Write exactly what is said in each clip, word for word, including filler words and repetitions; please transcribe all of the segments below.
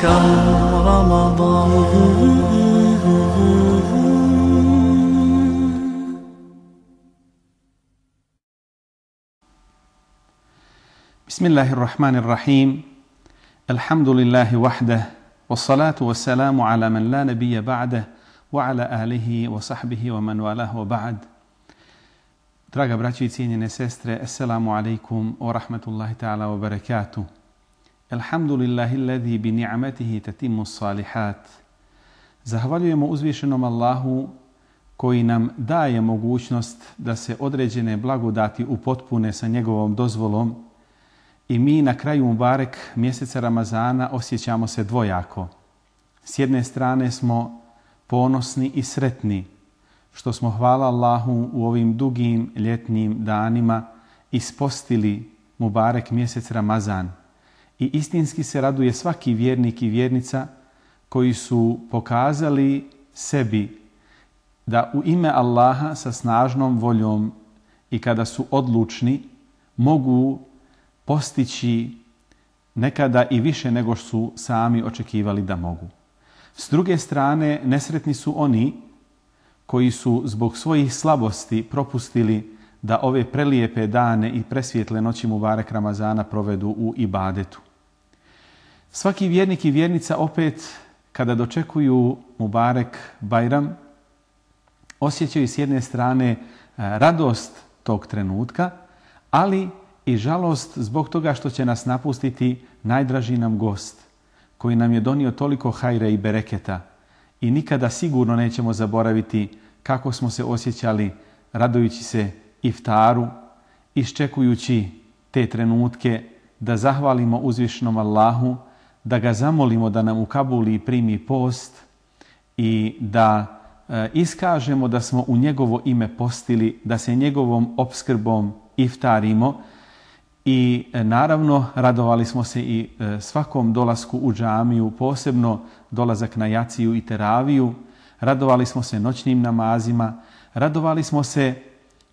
شهر رمضان. بسم الله الرحمن الرحيم. الحمد لله وحده والصلاة والسلام على من لا نبي بعده وعلى آله وصحبه ومن والاه وبعد. Draga braćo i cijenjene sestre, assalamu alaikum wa rahmatullahi ta'ala wa barakatuh. Alhamdulillahi alladhi bi ni'matihi tatimmu salihat. Zahvaljujemo uzvišenom Allahu koji nam daje mogućnost da se određene blagodati upotpune sa njegovom dozvolom i mi na kraju Mubarek mjeseca Ramazana osjećamo se dvojako. S jedne strane smo ponosni i sretni što smo, hvala Allahu, u ovim dugim ljetnim danima ispostili Mubarek mjesec Ramazan. I istinski se raduje svaki vjernik i vjernica koji su pokazali sebi da u ime Allaha sa snažnom voljom i kada su odlučni mogu postići nekada i više nego su sami očekivali da mogu. S druge strane, nesretni su oni koji su zbog svojih slabosti propustili da ove prelijepe dane i presvjetle noći Mubarek Ramazana provedu u ibadetu. Svaki vjernik i vjernica opet kada dočekuju Mubarek Bajram osjećaju s jedne strane radost tog trenutka, ali i žalost zbog toga što će nas napustiti najdraži nam gost koji nam je donio toliko hajra i bereketa i nikada sigurno nećemo zaboraviti kako smo se osjećali radujući se iftaru, iščekujući te trenutke da zahvalimo uzvišenom Allahu, da ga zamolimo da nam ukabuli i primi post i da e, iskažemo da smo u njegovo ime postili, da se njegovom opskrbom iftarimo. I e, naravno radovali smo se i e, svakom dolasku u džamiju, posebno dolazak na jaciju i teraviju. Radovali smo se noćnim namazima, radovali smo se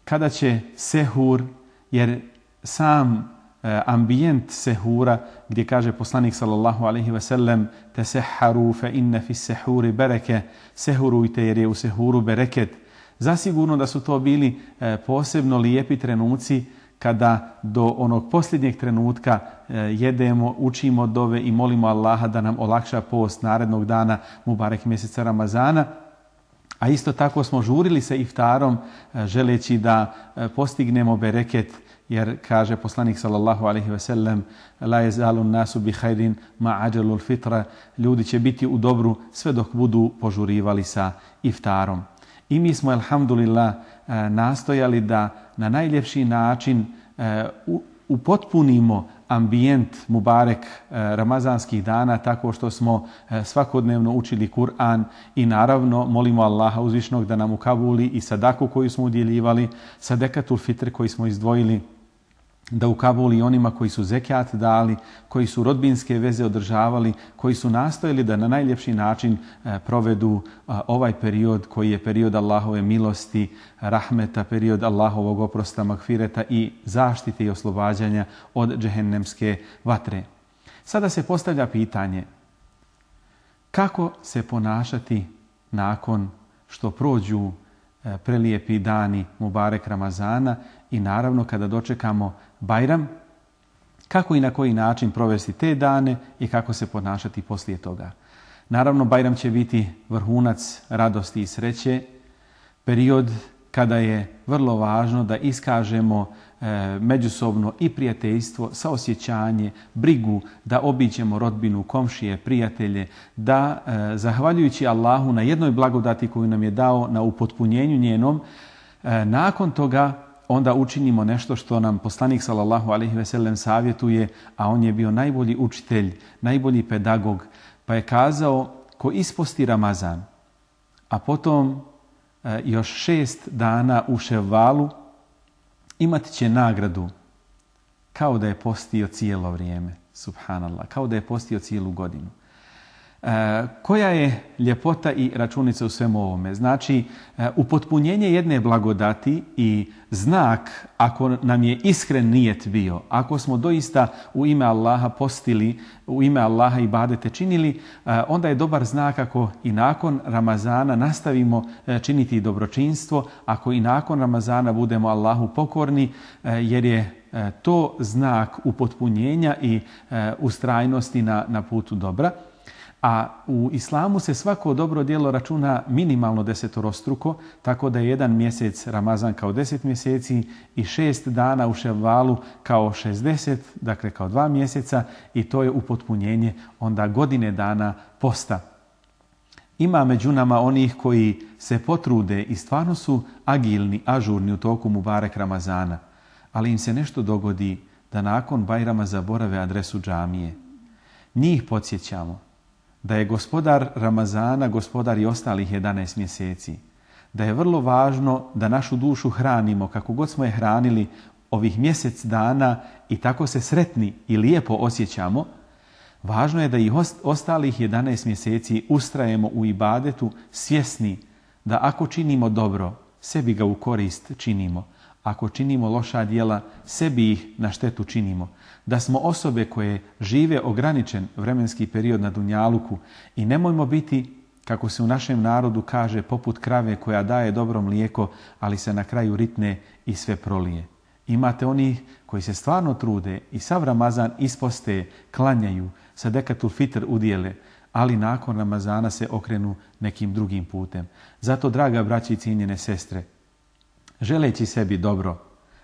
kada će sehur, jer sam e, ambijent sehura gdje kaže poslanik sallallahu alejhi ve sellem tesehharu fe inne fi sehuri bereke, sehurujte jer je u sehuru bereket. Zasigurno da su to bili e, posebno lijepi trenuci kada do onog posljednjeg trenutka e, jedemo, učimo dove i molimo Allaha da nam olakša post narednog dana Mubarek mjeseca Ramazana. A isto tako smo žurili se iftarom e, želeći da e, postignemo bereket, jer kaže poslanik sallallahu alejhi ve sellem la yazalun nasu bi khairin ma ajalul fitra, ljudi će biti u dobru sve dok budu požurivali sa iftarom. I mi smo, alhamdulillah, nastojali da na najljepši način upotpunimo ambijent Mubarek ramazanskih dana tako što smo svakodnevno učili Kur'an i naravno molimo Allaha uzvišnog da nam ukabuli i sadaku koju smo udjeljivali, sadekatul fitr koji smo izdvojili, da ukabuli onima koji su zekat dali, koji su rodbinske veze održavali, koji su nastojali da na najljepši način provedu ovaj period koji je period Allahove milosti, rahmeta, period Allahovog oprosta, magfireta i zaštite i oslobađanja od džehennemske vatre. Sada se postavlja pitanje kako se ponašati nakon što prođu prelijepi dani Mubarek Ramazana i naravno kada dočekamo Bajram, kako i na koji način provesti te dane i kako se ponašati poslije toga. Naravno, Bajram će biti vrhunac radosti i sreće, period kada je vrlo važno da iskažemo e, međusobno i prijateljstvo, saosjećanje, brigu, da obiđemo rodbinu, komšije, prijatelje, da e, zahvaljujući Allahu na jednoj blagodati koju nam je dao, na upotpunjenju njenom, e, nakon toga onda učinimo nešto što nam poslanik sallallahu alejhi ve sellem savjetuje, a on je bio najbolji učitelj, najbolji pedagog, pa je kazao ko isposti Ramazan, a potom e, još šest dana u Ševvalu, imat će nagradu kao da je postio cijelo vrijeme. Subhanallah, kao da je postio cijelu godinu. E, koja je ljepota i računica u svemu ovome? Znači, e, upotpunjenje jedne blagodati i znak ako nam je iskren nijet bio, ako smo doista u ime Allaha postili, u ime Allaha ibadete činili, e, onda je dobar znak ako i nakon Ramazana nastavimo e, činiti dobročinstvo, ako i nakon Ramazana budemo Allahu pokorni, e, jer je e, to znak upotpunjenja i e, ustrajnosti na, na putu dobra. A u islamu se svako dobro djelo računa minimalno desetorostruko, tako da je jedan mjesec Ramazan kao deset mjeseci i šest dana u Ševvalu kao šezdeset, dakle kao dva mjeseca, i to je upotpunjenje onda godine dana posta. Ima među nama onih koji se potrude i stvarno su agilni, ažurni u toku Mubarek Ramazana, ali im se nešto dogodi da nakon Bajrama zaborave adresu džamije. Njih podsjećamo da je gospodar Ramazana gospodar i ostalih jedanaest mjeseci, da je vrlo važno da našu dušu hranimo kako god smo je hranili ovih mjesec dana i tako se sretni i lijepo osjećamo. Važno je da i ostalih jedanaest mjeseci ustrajemo u ibadetu svjesni da ako činimo dobro, sebi ga u korist činimo. Ako činimo loša djela, sebi ih na štetu činimo. Da smo osobe koje žive ograničen vremenski period na dunjaluku i nemojmo biti, kako se u našem narodu kaže, poput krave koja daje dobro mlijeko, ali se na kraju ritne i sve prolije. Imate onih koji se stvarno trude i sav Ramazan isposte, klanjaju, sadekatul fitr udjele, ali nakon Ramazana se okrenu nekim drugim putem. Zato, draga braći i cijenjene sestre, želeći sebi dobro,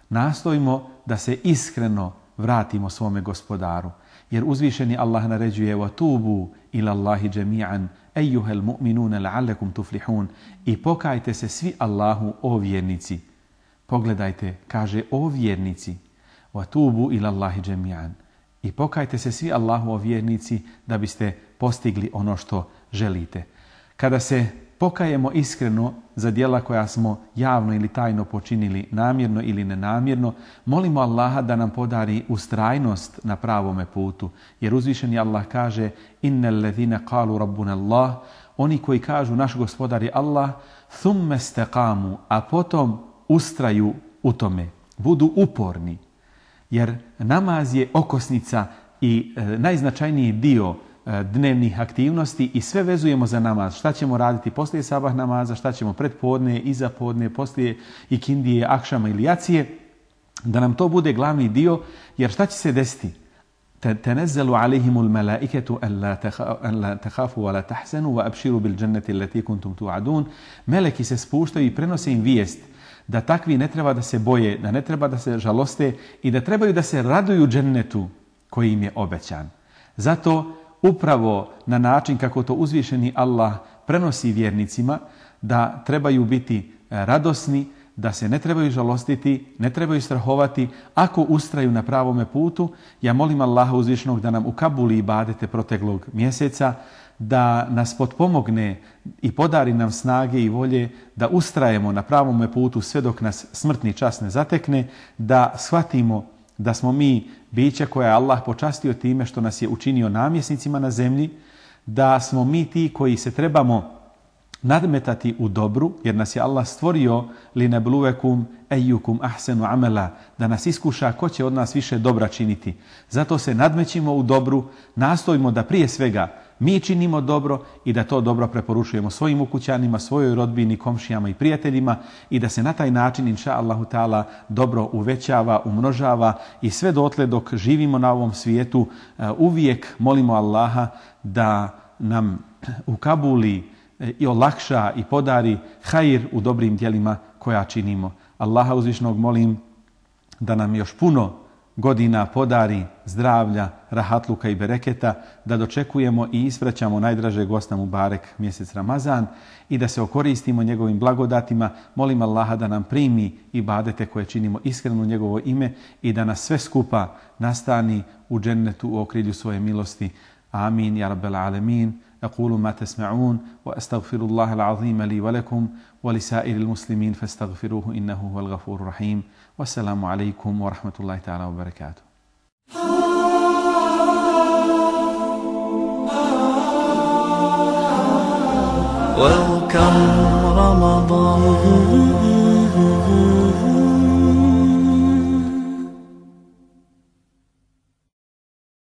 nastojimo da se iskreno vratimo svome gospodaru. Jer uzvišeni Allah naređuje وَتُوبُوا إِلَى اللَّهِ جَمِيعًا أَيُّهَا الْمُؤْمِنُونَ لَعَلَّكُمْ تُفْلِحُونَ I pokajte se svi Allahu, o vjernici. Pogledajte, kaže, o vjernici. وَتُوبُوا إِلَى اللَّهِ جَمِيعًا I pokajte se svi Allahu, o vjernici, da biste postigli ono što želite. Kada se pokajemo iskreno za djela koja smo javno ili tajno počinili, namjerno ili nenamjerno, molimo Allaha da nam podari ustrajnost na pravome putu. Jer uzvišeni Allah kaže: innal ladhina qalu rabbuna Allah, oni koji kažu naš gospodar je Allah, thumma istaqamu, a potom ustraju u tome, budu uporni. Jer namaz je okosnica i e, najznačajniji dio dnevnih aktivnosti i sve vezujemo za namaz. Šta ćemo raditi poslije sabah namaza, šta ćemo pred podne, iza podne, poslije ikindije, akšama ili jacije, da nam to bude glavni dio, jer šta će se desiti? تنزل عليهم الملائكة ألا تخافوا ولا تحزنوا وأبشروا بالجنة التي كنتم توعدون. Meleki se spuštaju i prenose im vijest da takvi ne treba da se boje, da ne treba da se žaloste i da trebaju da se raduju džennetu koji im je obećan. Zato upravo na način kako to uzvišeni Allah prenosi vjernicima, da trebaju biti radosni, da se ne trebaju žalostiti, ne trebaju strahovati ako ustraju na pravome putu. Ja molim Allaha uzvišenog da nam ukabuli ibadete proteklog mjeseca, da nas potpomogne i podari nam snage i volje da ustrajemo na pravome putu sve dok nas smrtni čas ne zatekne, da shvatimo da smo mi bića koja je Allah počastio time što nas je učinio namjesnicima na zemlji, da smo mi ti koji se trebamo nadmetati u dobru, jer nas je Allah stvorio linabluvekum ejukum ahsenu amela, da nas iskuša ko će od nas više dobra činiti. Zato se nadmećimo u dobru, nastojimo da prije svega mi činimo dobro i da to dobro preporučujemo svojim ukućanima, svojoj rodbini, komšijama i prijateljima i da se na taj način, inša Allahu ta'ala, dobro uvećava, umnožava i sve dotle dok živimo na ovom svijetu uvijek molimo Allaha da nam ukabuli i olakša i podari hajr u dobrim djelima koja činimo. Allaha uzvišnog molim da nam još puno godina podari zdravlja, rahatluka i bereketa, da dočekujemo i ispraćamo najdražeg gosta Mubarek mjesec Ramazan i da se okoristimo njegovim blagodatima. Molim Allaha da nam primi ibadete koje činimo iskreno u njegovo ime i da nas sve skupa nastani u džennetu u okrilju svoje milosti. Amin ya rabbal alamin. أقول ما تسمعون وأستغفر الله العظيم لي ولكم ولسائر المسلمين فاستغفروه إنه هو الغفور الرحيم والسلام عليكم ورحمة الله تعالى وبركاته. Welcome Ramadan.